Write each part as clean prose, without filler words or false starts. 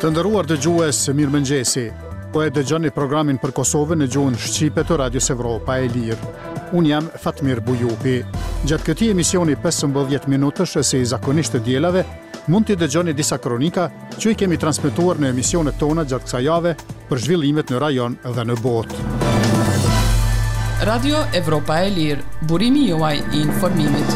Të nderuar dëgjues, mirëmëngjesi. Po e dëgjoni programin për Kosovën në gjuhën shqipe të Radios Evropa e Lirë. Unë jam Fatmir Bujupi. Gjatë këtij emisioni 15 minutësh, si zakonisht të dielave, mund t'i dëgjoni disa kronika që i kemi transmetuar në emisionet tona gjatë kësaj jave për zhvillimet në rajon dhe në botë. Radio Evropa e Lirë, burimi juaj i informimit.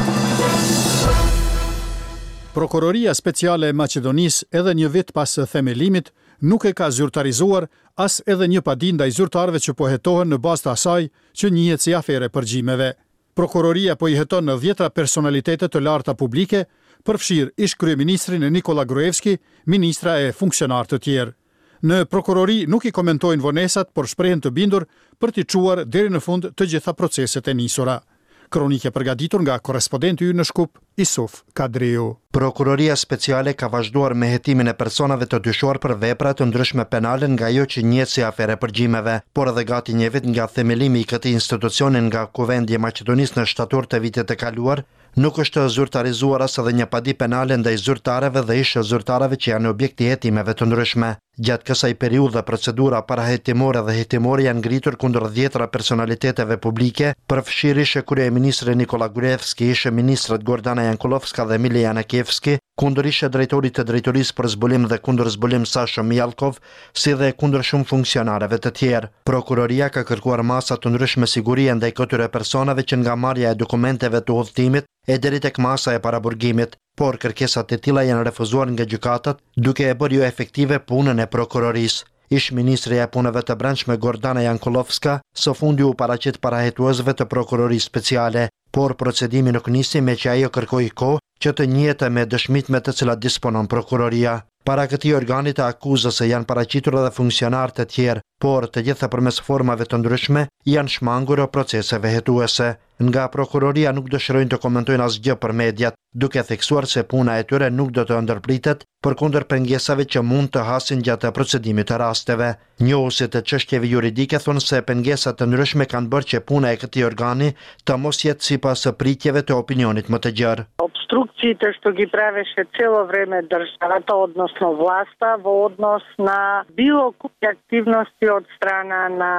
Prokuroria Speciale e Maqedonisë edhe një vit pas themelimit nuk e ka zyrtarizuar as edhe një padi ndaj zyrtarëve që po hetohen në bazë të asaj që njihet si aferë e përgjimeve. Prokuroria po i heton dhjetëra personalitete të larta publike, përfshirë ish-kryeministrin Nikolla Gruevski, ministra e funksionarë të tjerë. Në prokurori nuk i komentojnë vonesat, por shprehen të bindur për t'i çuar deri në fund të gjitha proceset e nisura. Kronikë e përgatitur nga korrespodenti ynë në Shkup, Isuf Kadriu. Prokuroria Speciale ka vazhduar me hetimin e personave të dyshuar për vepra të ndryshme penale nga ajo që njihet si aferë e përgjimeve. Por edhe gati një vit nga themelimi i këtij institucioni nga Kuvendi i Maqedonisë në shtator të vitit të kaluar, nuk është zyrtarizuar as edhe një padi penale ndaj zyrtarëve dhe ish-zyrtarëve që janë objekt i hetimeve të ndryshme. Gjatë kësaj periudhe procedura parahetimore dhe hetimore janë ngritur kundër dhjetëra personaliteteve publike, përfshirë ish-kryeministrin Nikolla Gruevski, ish-ministrat Gordana Jankullovska dhe Mile Janakievski, kundër ish-drejtorit të Drejtorisë për Zbulim dhe Kundërzbulim Sasho Mijallkov, si dhe kundër shumë funksionarëve të tjerë. Prokuroria ka kërkuar masa të ndryshme sigurie ndaj këtyre personave që nga marrja e dokumenteve të udhëtimit e deri tek masa e paraburgimit. Por kërkesat e tilla janë refuzuar nga gjykatat, duke e bërë joefektive punën e prokurorisë. Ish-ministrja e Punëve të Brendshme Gordana Jankullovska së fundi u paraqit para hetuesve të Prokurorisë Speciale, por procedimi nuk nisi meqë ajo kërkoi kohë që të njihet me dëshmitë me të cilat disponon prokuroria. Para këtij organi të akuzës janë paraqitur edhe funksionarë të tjerë, por të gjitha përmes formave të ndryshme i janë shmangur proceseve hetuese. Nga prokuroria nuk dëshirojnë të komentojnë asgjë për mediat, duke theksuar se puna e tyre nuk do të ndërpritet, përkundër pengesave që mund të hasin gjatë procedimit të rasteve. Njohësit e çështjeve juridike thonë se pengesa të ndryshme kanë bërë që puna e këtij organi të mos jetë sipas pritjeve të opinionit më të gjerë. Опструкциите што ги правеше цело време државата, односно власта, во однос на било кои активности од страна на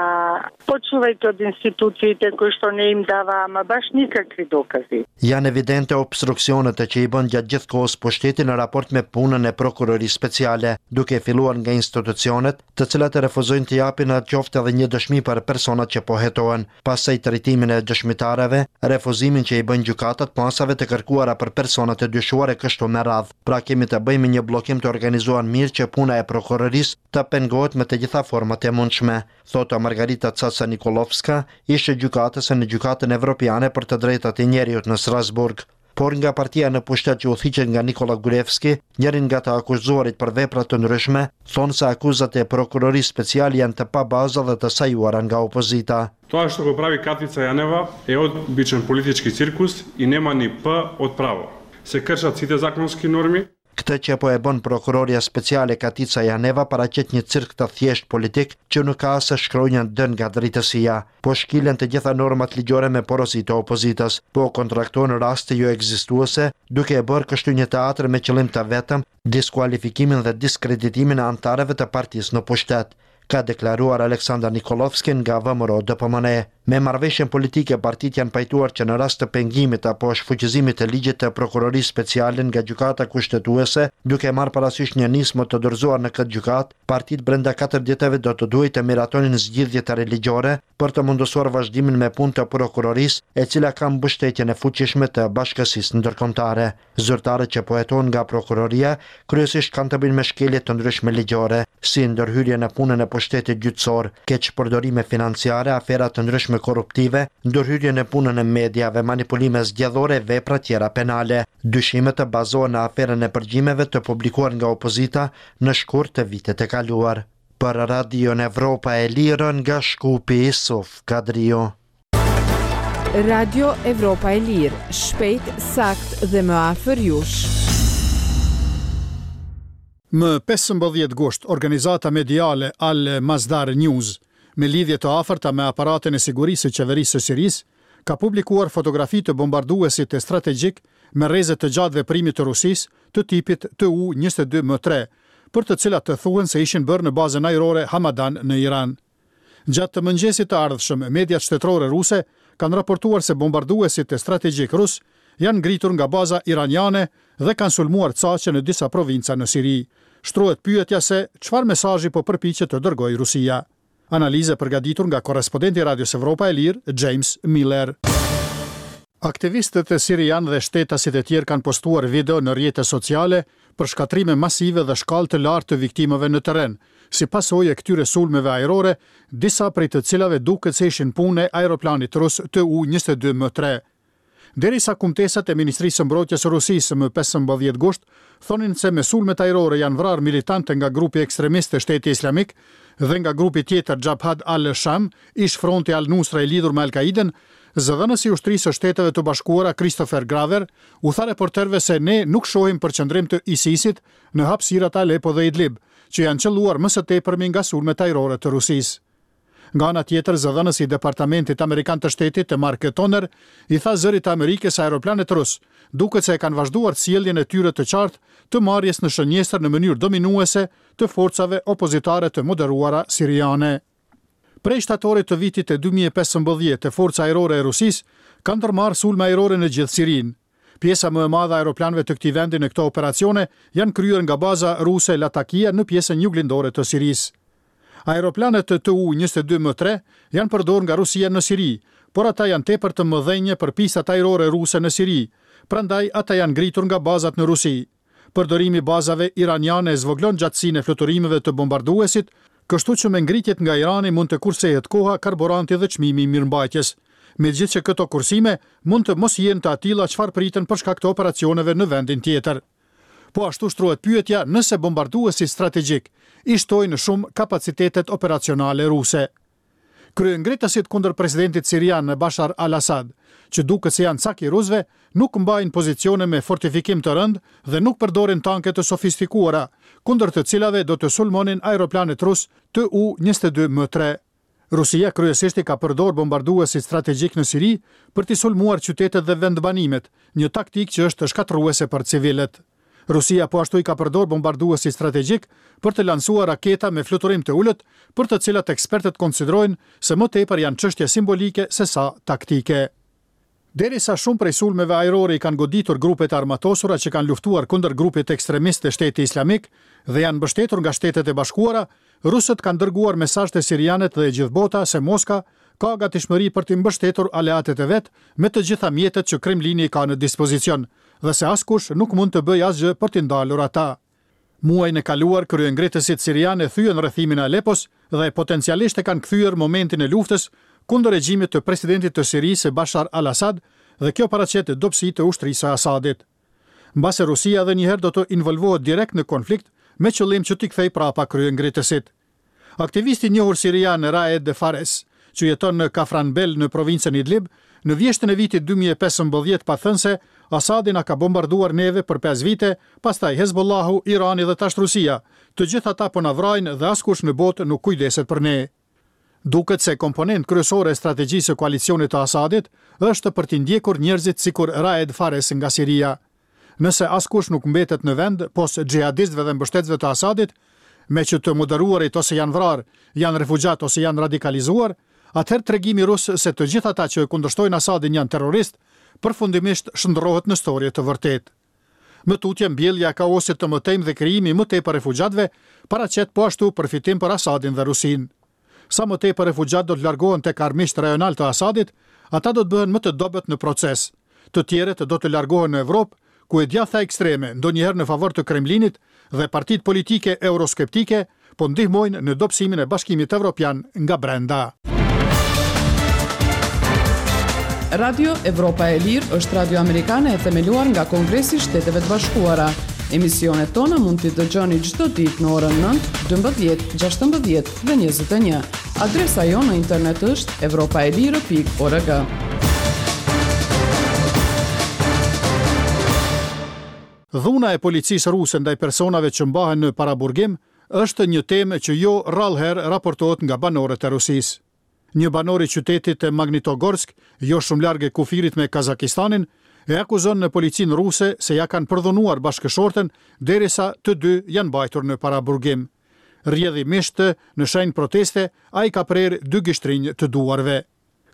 почнувајќи од институциите кои што не им дава ама баш никакви докази. Janë evidente obstruksionet që i bën gjatë gjithë kohës pushteti në raport me punën e Prokurorisë Speciale, duke filluar nga institucionet, të cilat refuzojnë të japin qoftë edhe një dëshmi për personat që po hetohen, pastaj trajtimin e dëshmitarëve, refuzimin që i bëjnë gjykatat masave të kërkuara për personat e dyshuar e kështu me radhë. Pra kemi të bëjmë me një bllokim të organizuar mirë që puna e prokurorisë të pengohet me të gjitha format e mundshme, thotë Margarita Caca Nikollovska, ish-gjykatëse në Gjykatën Evropiane për të Drejtat e Njeriut në Strasburg. Por nga partia në pushtet që udhëhiqet nga Nikolla Gruevski, njëri nga të akuzuarit për vepra të ndryshme, thonë se akuzat e Prokurorisë Speciale janë të pabaza dhe të sajuara nga opozita. Тоа што го прави Катица Јанева е обичен политички циркус и нема ни П од право. Се кршат сите законски норми, Këtë që po e bën prokurorja speciale Katica Janeva paraqet një cirk të thjeshtë politik që nuk ka as shkronjën D nga drejtësia. Po shkilen të gjitha normat ligjore me porosi të opozitës, po kontraktohen raste joekzistuese, duke e bërë kështu një teatër me qëllim të vetëm diskualifikimin dhe diskreditimin e anëtarëve të partisë në pushtet, ka deklaruar Aleksandar Nikollovski nga VMRO DPMNE. Me marrëveshjen politike partitë janë pajtuar që në rast të pengimit apo shfuqizimit të ligjit të Prokurorisë Speciale nga Gjykata Kushtetuese, duke marrë parasysh një nismë të dorëzuar në këtë gjykatë, partitë brenda katër ditëve do të duhej të miratonin zgjidhje të re ligjore për të mundësuar vazhdimin me punë të prokurorisë, e cila ka mbështetjen e fuqishme të bashkësisë ndërkombëtare. Zyrtarët që po hetohen nga prokuroria kryesisht kanë të bëjnë me shkelje të ndryshme ligjore, si ndërhyrje në punën e pushtetit gjyqësor, keqpërdorime financiare, afera të ndryshme korruptive, ndërhyrje në punën e mediave, manipulime zgjedhore e vepra tjera penale. Dyshimet bazohen në aferën e përgjimeve të publikuar nga opozita në shkurt të vitit të kaluar. Për Radion Evropa e Lirë nga Shkupi, Isuf Kadriu. Radio Evropa e Lirë, shpejt, saktë dhe më afër jush. Më 15 gusht, organizata mediale Al Masdar News, me lidhje të afërta me aparatin e sigurisë së qeverisë së Sirisë, ka publikuar fotografi të bombarduesit strategjik me rreze të gjatë veprimi të Rusisë të tipit Tu 22 M 3, për të cilat thuhen se ishin bërë në bazën ajrore Hamadan në Iran. Gjatë mëngjesit të ardhshëm, mediat shtetërore ruse kanë raportuar se bombarduesit strategjikë rusë janë ngritur nga baza iraniane dhe kanë sulmuar caqe në disa provinca në Siri. Shtrohet pyetja se çfarë mesazhi po përpiqet të dërgojë Rusia. Analizë e përgatitur nga korrespondenti i Radios Evropa e Lirë, James Miller. Aktivistët sirianë dhe shtetasit e tjerë kanë postuar video në rrjete sociale për shkatërrime masive dhe shkallë të lartë të viktimave në terren, si pasojë e këtyre sulmeve ajrore, disa prej të cilave duket se ishin punë e aeroplanit rus Tu 22 M 3. Derisa kumtesat e Ministrisë së Mbrojtjes së Rusisë më 15 gusht thonin se me sulmet ajrore janë vrarë militantë nga grupi ekstremist Shteti Islamik dhe nga grupi tjetër Jabhat al-Sham, ish-fronti al-Nusra i lidhur me Al-Kaidën, zëdhënësi i Ushtrisë së Shteteve të Bashkuara Christopher Graver u tha reporterëve se ne nuk shohim përqendrim të ISIS-it në hapësirat Aleppo dhe Idlib, që janë qëlluar më së tepërmi nga sulmet ajrore të Rusisë. Nga ana tjetër, zëdhënësi i Departamentit Amerikan të Shtetit, Mark Toner, i tha Zërit të Amerikës se aeroplanët rusë duket se e kanë vazhduar sjelljen e tyre të qartë të marrjes në shënjestër në mënyrë dominuese të forcave opozitare të moderuara siriane. Prej shtatorit të vitit 2015, Forca Ajrore e Rusisë ka ndërmarrë sulme ajrore në gjithë Sirinë. Pjesa më e madhe e aeroplanëve të këtij vendi në këto operacione janë kryer nga baza ruse Latakia në pjesën juglindore të Sirisë. Aeroplanët Tu 22 M 3 janë përdorur nga Rusia në Siri, por ata janë tepër të mëdhenj për pistat ajrore ruse në Siri, prandaj ata janë ngritur nga bazat në Rusi. Përdorimi i bazave iraniane e zvogëlon gjatësinë e fluturimeve të bombarduesit, kështu që me ngritjet nga Irani mund të kursehet koha, karburanti dhe çmimi i mirëmbajtjes. Megjithëqë këto kursime mund të mos jenë të atilla çfarë priten për shkak të operacioneve në vendin tjetër. Po ashtu shtrohet pyetja nëse bombarduesit strategjikë i shtojnë shumë kapacitetet operacionale ruse. Kryengritësit kundër presidentit sirian Bashar al-Assad, që duket se janë cak i rusëve, nuk mbajnë pozicione me fortifikim të rëndë dhe nuk përdorin tanke të sofistikuara, kundër të cilave do të sulmonin aeroplanët rusë Tu 22 M 3. Rusia kryesisht i ka përdorë bombarduesit strategjikë në Siri për t'i sulmuar qytetet dhe vendbanimet, një taktikë që është shkatërruese për civilët. Rusia po ashtu i ka përdorë bombarduesit strategjikë për të lansuar raketa me fluturim të ulët, për të cilat ekspertët konsiderojnë se më tepër janë çështje simbolike sesa taktike. Derisa shumë prej sulmeve ajrore i kanë goditur grupet e armatosura që kanë luftuar kundër grupit ekstremist të Shteti Islamik dhe janë mbështetur nga Shtetet e Bashkuara, rusët kanë dërguar mesazh te sirianët dhe e gjithë bota se Moska ka gatishmëri për t'i mbështetur aleatët e vet me të gjitha mjetet që Kremlini i ka në dispozicion dhe se askush nuk mund të bëjë asgjë për t'i ndalur ata. Muajin e kaluar, kryengritësit sirianë e thyen rrethimin e Alepos dhe potencialisht e kanë kthyer momentin e luftës kundër regjimit të presidentit të Sirisë Bashar al-Assad dhe kjo paraqet dobësi të ushtrisë së Assadit. Mbase Rusia edhe një herë do të involvohet direkt në konflikt me qëllim që t'i kthejë prapa kryengritësit. Aktivisti i njohur sirian Raed Fares, që jeton në Kafranbel në provincën Idlib, në vjeshtën e vitit 2015 pat thënë se Asadi na ka bombarduar neve për 5 vite, pastaj Hezbollahu, Irani dhe tash Rusia. Të gjithë ata po na vrajnë dhe askush në botë nuk kujdeset për ne. Duket se komponent kryesore e strategjisë së koalicionit të Asadit është për t'i ndjekur njerëzit sikur Raed Fares nga Siria. Nëse askush nuk mbetet në vend, pos xhihadistëve dhe mbështetësve të Asadit, meqë të moderuarit ose janë vrarë, janë refugjatë ose janë radikalizuar, atëherë tregimi rus se të gjithë ata që e kundërshtojnë Asadin janë terroristë, përfundimisht shndërrohet në storje të vërtetë. Më tutje, mbjellja e kaosit të mëtejmë dhe krijimi i më tepër refugjatëve paraqet po ashtu përfitim për Asadin dhe Rusinë. Sa më tepër refugjatë do të largohen tek armiqtë rajonalë të Asadit, ata do të bëhen më të dobët në proces. Të tjerët do të largohen në Evropë, ku e djathta ekstreme, ndonjëherë në favor të Kremlinit, dhe partitë politike euroskeptike po ndihmojnë në dobësimin e Bashkimit Evropian nga brenda. Radio Evropa e Lirë është radio amerikane e themeluar nga Kongresi i Shteteve të Bashkuara. Emisionet tona mund t'i dëgjoni çdo ditë në orën 9, 12, 16 dhe 21. Adresa jonë në internet është evropaelire.org. Dhuna e policisë ruse ndaj personave që mbahen në paraburgim është një temë që jo rrallëherë raportohet nga banorët e Rusisë. Një banor i qytetit të Magnitogorsk, jo shumë larg kufirit me Kazakistanin, e akuzon në policinë ruse se ia kanë përdhunuar bashkëshorten derisa të dy janë mbajtur në paraburgim. Rrjedhimisht, në shenjë proteste, ai ka prerë dy gishtrinj të duarve.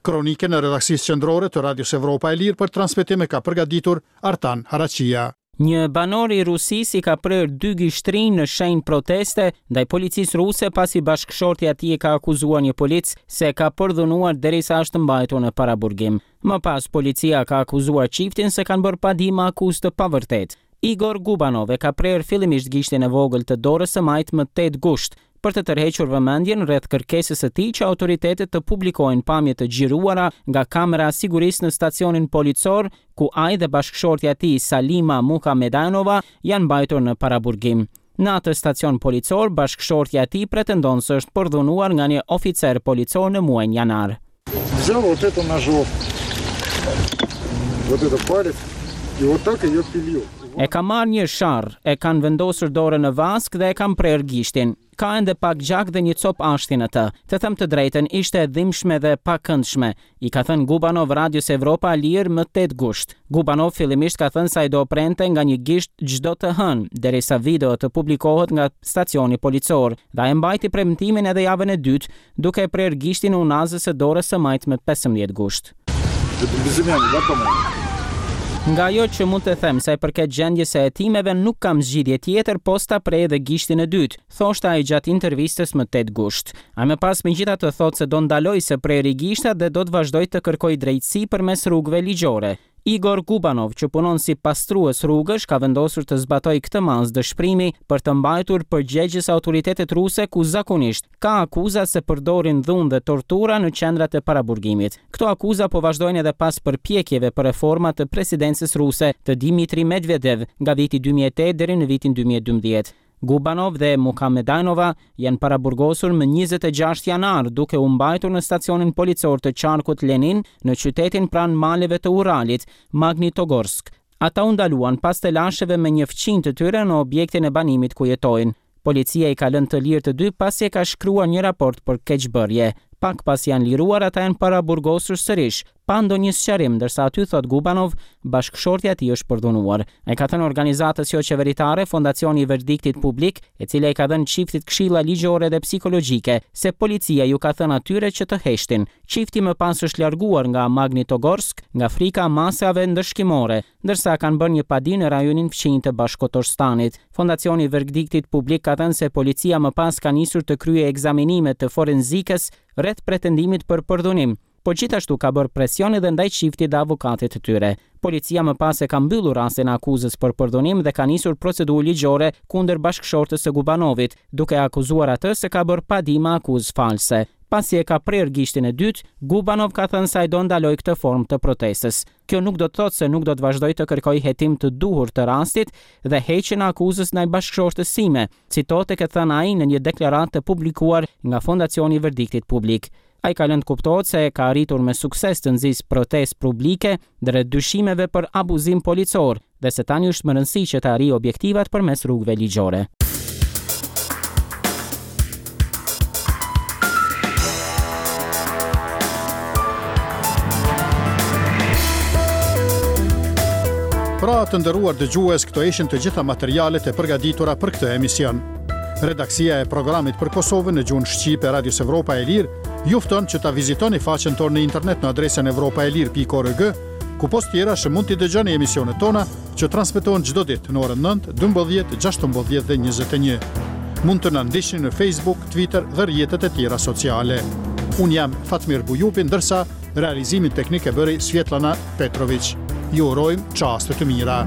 Kronikën e redaksisë qendrore të Radios Evropa e Lirë për transmetim e ka përgatitur Artan Haraqija. Një banor i Rusisë i ka prerë dy gishtrinj në shenjë proteste ndaj policisë ruse pasi bashkëshortja e tij e ka akuzuar një polic se e ka përdhunuar derisa është mbajtur në paraburgim. Më pas, policia ka akuzuar çiftin se kanë bërë padi me akuzë të pavërtetë. Igor Gubanov e ka prerë fillimisht gishtin e vogël të dorës së majtë më 8 gusht, për të tërhequr vëmendjen rreth kërkesës së tij që autoritetet të publikojnë pamje të xhiruara nga kamera e sigurisë në stacionin policor ku ai dhe bashkëshortja e tij Salima Mukhamedanova janë mbajtur në paraburgim. Në atë stacion policor, bashkëshortja e tij pretendon se është përdhunuar nga një oficer policor në muajin janar. Взял вот эту ножовку, вот это палец, и вот так ее пилил. E kam marrë një sharrë, e kanë vendosur dorën në vaskë dhe e kam prerë gishtin. Ka ende pak gjak dhe një copë ashti në të. Të them të drejtën, ishte e dhimbshme dhe e pakëndshme, i ka thënë Gubanov Radios Evropa e Lirë më 8 gusht. Gubanov fillimisht ka thënë se ai do prente nga një gisht çdo të hënë, derisa video të publikohet nga stacioni policor, dhe ai mbajti premtimin edhe javën e dytë, duke e prerë gishtin e unazës së dorës së majtë më 15 gusht. Nga ajo që mund të them sa i përket gjendjes së hetimeve nuk kam zgjidhje tjetër pos ta prej edhe gishtin e dytë, thoshte ai gjatë intervistës më 8 gusht. Ai më pas megjithatë thotë se do ndalojë së preri gishtat dhe do të vazhdojë të kërkojë drejtësi përmes rrugëve ligjore. Igor Gubanov, që punon si pastrues rrugësh, ka vendosur të zbatojë këtë masë dëshpërimi për të mbajtur përgjegjës autoritetet ruse ku zakonisht ka akuza se përdorin dhunë dhe tortura në qendrat e paraburgimit. Këto akuza po vazhdojnë edhe pas përpjekjeve për reforma të presidencës ruse të Dimitri Medvedev nga viti 2008 deri në vitin 2012. Gubanov dhe Mukhamedanova janë paraburgosur më 26 janar duke u mbajtur në stacionin policor të qarkut Lenin në qytetin pranë maleve të Uralit, Magnitogorsk. Ata u ndaluan pas telasheve me një fqinj të tyre në objektin e banimit ku jetojnë. Policia i ka lënë të lirë të dy pasi e ka shkruar një raport për keqbërje. Pak pasi janë liruar, ata janë paraburgosur sërish, pa ndonjë sqarim, ndërsa aty thot Gubanov, bashkëshortja e tij është përdhunuar. Ai ka thënë organizatës jo qeveritare Fondacioni i Verdiktit Publik, e cila i ka dhënë çiftit këshilla ligjore dhe psikologjike, se policia ju ka thënë atyre që të heshtin. Çifti më pas është larguar nga Magnitogorsk nga frika masave ndëshkimore, ndërsa kanë bërë një padi në rajonin fqinj të Bashkotorstanit. Fondacioni i Verdiktit Publik ka thënë se policia më pas ka nisur të kryejë ekzaminime të forenzikës rreth pretendimit për përdhunim, por gjithashtu ka bërë presion edhe ndaj çiftit dhe avokatit të tyre. Policia më pas e ka mbyllur rastin e akuzës për përdhunim dhe ka nisur procedurë ligjore kundër bashkëshortes së Gubanovit, duke akuzuar atë se ka bërë padi me akuzë false. Pasi e ka prerë gishtin e dytë, Gubanov ka thënë se ai do ndalojë këtë formë të protestës. Kjo nuk do të thotë se nuk do të vazhdoj të kërkoj hetim të duhur të rastit dhe heqjen e akuzës ndaj bashkëshortes sime, citohet të ketë thënë ai në një deklaratë të publikuar nga Fondacioni i Verdiktit Publik. Ai ka lënë të kuptohet se ka arritur me sukses të nxisë protestë publike drejt dyshimeve për abuzim policor dhe se tani është me rëndësi që të arrijë objektivat përmes rrugëve ligjore. Pra të nderuar dëgjues, këto ishin të gjitha materialet e përgatitura për këtë emision. Redaksia e programit për Kosovën në gjuhën shqipe Radios Evropa e Lirë ju fton që ta vizitoni faqen tonë në internet në adresën evropaelire.org, ku pos tjerash mund t'i dëgjoni emisionet tona që transmetohen çdo ditë në orën 9, 12, 16 dhe 21. Mund të na ndiqni në Facebook, Twitter dhe rrjetet e tjera sociale. Unë jam Fatmir Bujupi, ndërsa realizimin teknik e bëri Svjetlana Petrovic. Ju urojmë çaste të mira.